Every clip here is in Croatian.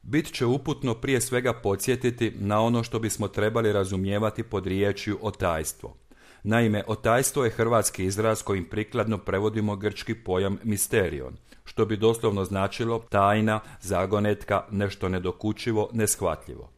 bit će uputno prije svega podsjetiti na ono što bismo trebali razumijevati pod riječju otajstvo. Naime, otajstvo je hrvatski izraz kojim prikladno prevodimo grčki pojam misterion, što bi doslovno značilo tajna, zagonetka, nešto nedokučivo, neshvatljivo.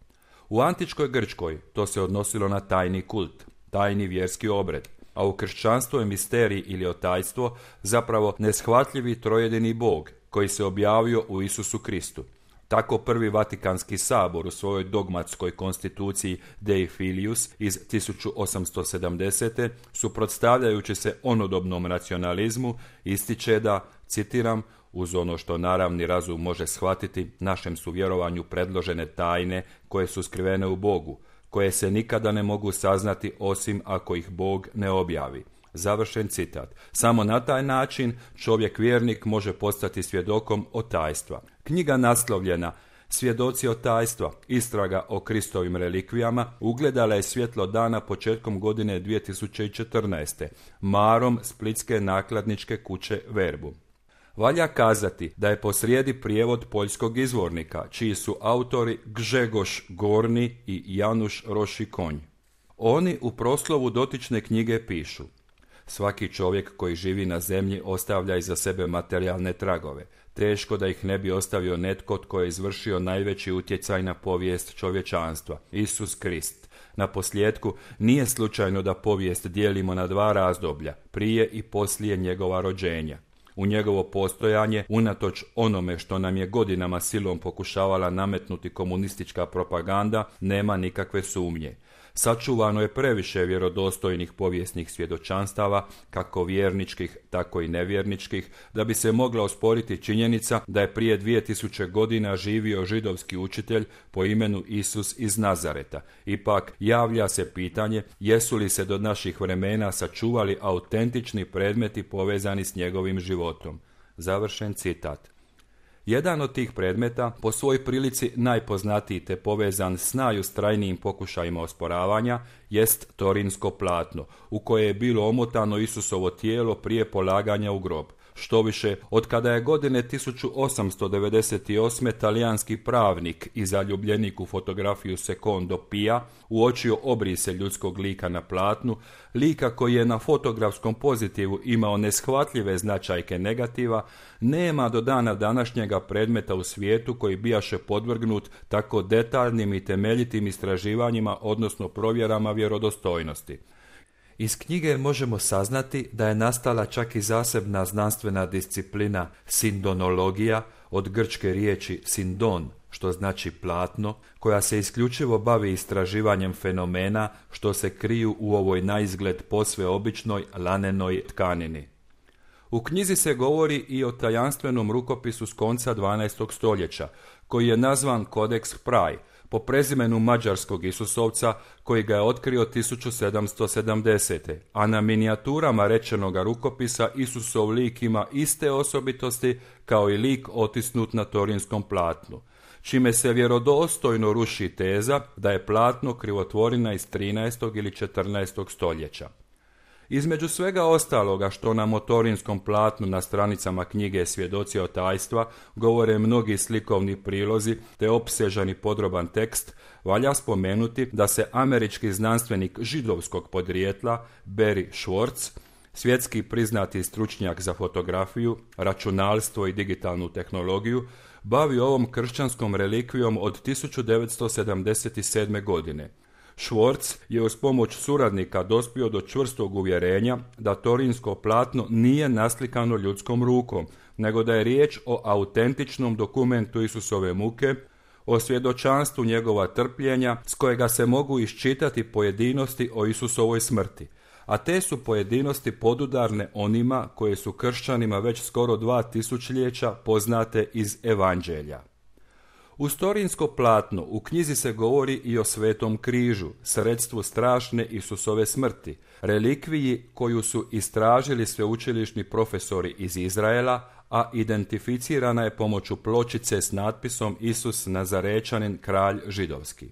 U antičkoj Grčkoj to se odnosilo na tajni kult, tajni vjerski obred, a u kršćanstvu je misterij ili otajstvo zapravo neshvatljivi trojedini Bog koji se objavio u Isusu Kristu. Tako prvi Vatikanski sabor u svojoj dogmatskoj konstituciji Dei Filius iz 1870. suprotstavljajući se onodobnom racionalizmu ističe da, citiram, uz ono što naravni razum može shvatiti, našem su vjerovanju predložene tajne koje su skrivene u Bogu, koje se nikada ne mogu saznati osim ako ih Bog ne objavi. Završen citat. Samo na taj način čovjek vjernik može postati svjedokom otajstva. Knjiga naslovljena Svjedoci otajstva, istraga o Kristovim relikvijama, ugledala je svjetlo dana početkom godine 2014. marom splitske nakladničke kuće Verbum. Valja kazati da je posrijedi prijevod poljskog izvornika, čiji su autori Grzegorz Gorni i Janusz Roši-Konj. Oni u proslovu dotične knjige pišu: svaki čovjek koji živi na zemlji ostavlja iza sebe materijalne tragove. Teško da ih ne bi ostavio netko tko je izvršio najveći utjecaj na povijest čovječanstva, Isus Krist. Na posljetku, nije slučajno da povijest dijelimo na dva razdoblja, prije i poslije njegova rođenja. U njegovo postojanje, unatoč onome što nam je godinama silom pokušavala nametnuti komunistička propaganda, nema nikakve sumnje. Sačuvano je previše vjerodostojnih povijesnih svjedočanstava, kako vjerničkih, tako i nevjerničkih, da bi se mogla osporiti činjenica da je prije 2000 godina živio židovski učitelj po imenu Isus iz Nazareta. Ipak, javlja se pitanje jesu li se do naših vremena sačuvali autentični predmeti povezani s njegovim životom. Završen citat. Jedan od tih predmeta, po svoj prilici najpoznatiji te povezan s najustrajnijim pokušajima osporavanja, jest torinsko platno, u koje je bilo omotano Isusovo tijelo prije polaganja u grob. Štoviše, od kada je godine 1898. talijanski pravnik i zaljubljenik u fotografiju Secondo Pia uočio obrise ljudskog lika na platnu, lika koji je na fotografskom pozitivu imao neshvatljive značajke negativa, nema do dana današnjega predmeta u svijetu koji bijaše podvrgnut tako detaljnim i temeljitim istraživanjima, odnosno provjerama vjerodostojnosti. Iz knjige možemo saznati da je nastala čak i zasebna znanstvena disciplina sindonologija, od grčke riječi sindon, što znači platno, koja se isključivo bavi istraživanjem fenomena što se kriju u ovoj naizgled posve običnoj lanenoj tkanini. U knjizi se govori i o tajanstvenom rukopisu s konca 12. stoljeća, koji je nazvan Codex Praj, po prezimenu mađarskog Isusovca koji ga je otkrio 1770. A na minijaturama rečenoga rukopisa Isusov lik ima iste osobitosti kao i lik otisnut na torinskom platnu, čime se vjerodostojno ruši teza da je platno krivotvorina iz 13. ili 14. stoljeća. Između svega ostaloga što nam o torinskom platnu na stranicama knjige Svjedoci otajstva govore mnogi slikovni prilozi te opsežan i podroban tekst, valja spomenuti da se američki znanstvenik židovskog podrijetla Barry Schwartz, svjetski priznati stručnjak za fotografiju, računalstvo i digitalnu tehnologiju, bavi ovom kršćanskom relikvijom od 1977. godine. Schwartz je uz pomoć suradnika dospio do čvrstog uvjerenja da torinsko platno nije naslikano ljudskom rukom, nego da je riječ o autentičnom dokumentu Isusove muke, o svjedočanstvu njegova trpljenja s kojega se mogu iščitati pojedinosti o Isusovoj smrti, a te su pojedinosti podudarne onima koje su kršćanima već skoro 2000 poznate iz Evanđelja. Uz torinsko platno u knjizi se govori i o Svetom križu, sredstvu strašne Isusove smrti, relikviji koju su istražili sveučilišni profesori iz Izraela, a identificirana je pomoću pločice s natpisom Isus Nazarečanin, kralj židovski.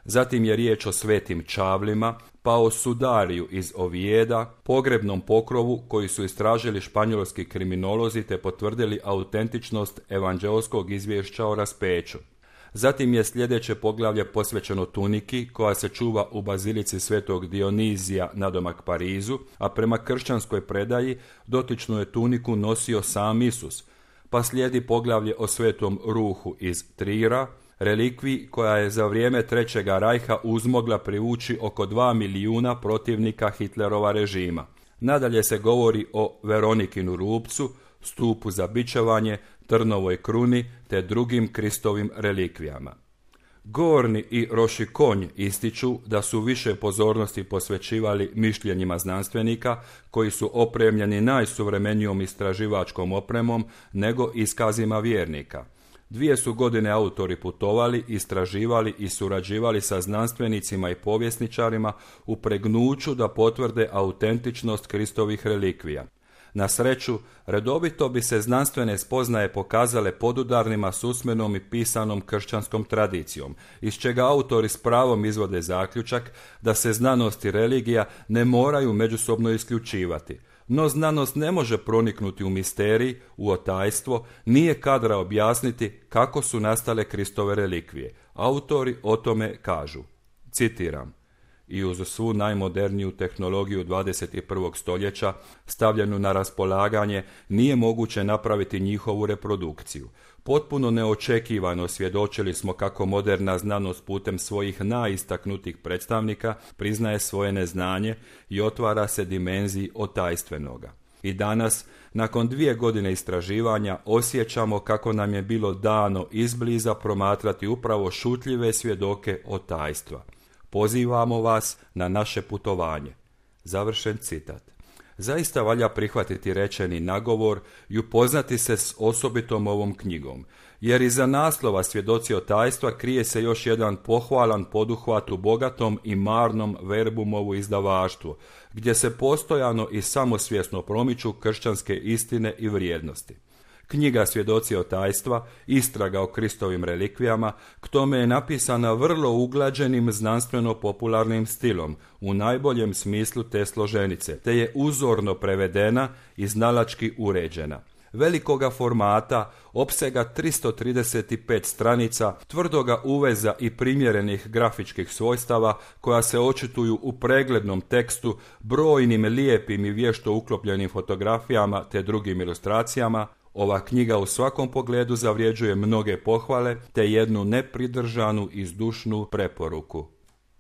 Zatim je riječ o svetim čavlima, pa o sudariju iz Ovijeda, pogrebnom pokrovu koji su istražili španjolski kriminolozi te potvrdili autentičnost evanđeoskog izvješća o raspeću. Zatim je sljedeće poglavlje posvećeno tuniki koja se čuva u bazilici svetog Dionizija nadomak Parizu, a prema kršćanskoj predaji dotičnu je tuniku nosio sam Isus, pa slijedi poglavlje o svetom ruhu iz Trira, relikviji koja je za vrijeme Trećega rajha uzmogla privući oko 2 milijuna protivnika Hitlerova režima. Nadalje se govori o Veronikinu rupcu, stupu za bičevanje, trnovoj kruni te drugim Kristovim relikvijama. Gorni i Rošikonj ističu da su više pozornosti posvećivali mišljenjima znanstvenika koji su opremljeni najsuvremenijom istraživačkom opremom nego iskazima vjernika. 2 su godine autori putovali, istraživali i surađivali sa znanstvenicima i povjesničarima u pregnuću da potvrde autentičnost Kristovih relikvija. Na sreću, redovito bi se znanstvene spoznaje pokazale podudarnima s usmenom i pisanom kršćanskom tradicijom, iz čega autori s pravom izvode zaključak da se znanost i religija ne moraju međusobno isključivati. No znanost ne može proniknuti u misterij, u otajstvo, nije kadra objasniti kako su nastale Kristove relikvije. Autori o tome kažu, citiram: i uz svu najmoderniju tehnologiju 21. stoljeća stavljenu na raspolaganje nije moguće napraviti njihovu reprodukciju. Potpuno neočekivano svjedočili smo kako moderna znanost putem svojih najistaknutijih predstavnika priznaje svoje neznanje i otvara se dimenziji otajstvenoga. I danas, nakon 2 godine istraživanja, osjećamo kako nam je bilo dano izbliza promatrati upravo šutljive svjedoke otajstva. Pozivamo vas na naše putovanje. Završen citat. Zaista valja prihvatiti rečeni nagovor i upoznati se s osobitom ovom knjigom, jer iza naslova Svjedoci otajstva krije se još jedan pohvalan poduhvat u bogatom i marnom verbumovu izdavaštvu, gdje se postojano i samosvjesno promiču kršćanske istine i vrijednosti. Knjiga Svjedoci otajstva, istraga o Kristovim relikvijama, k tome je napisana vrlo uglađenim znanstveno-popularnim stilom, u najboljem smislu te složenice, te je uzorno prevedena i znalački uređena. Velikoga formata, opsega 335 stranica, tvrdoga uveza i primjerenih grafičkih svojstava koja se očituju u preglednom tekstu, brojnim lijepim i vješto uklopljenim fotografijama te drugim ilustracijama, ova knjiga u svakom pogledu zavređuje mnoge pohvale te jednu nepridržanu i zdušnu preporuku.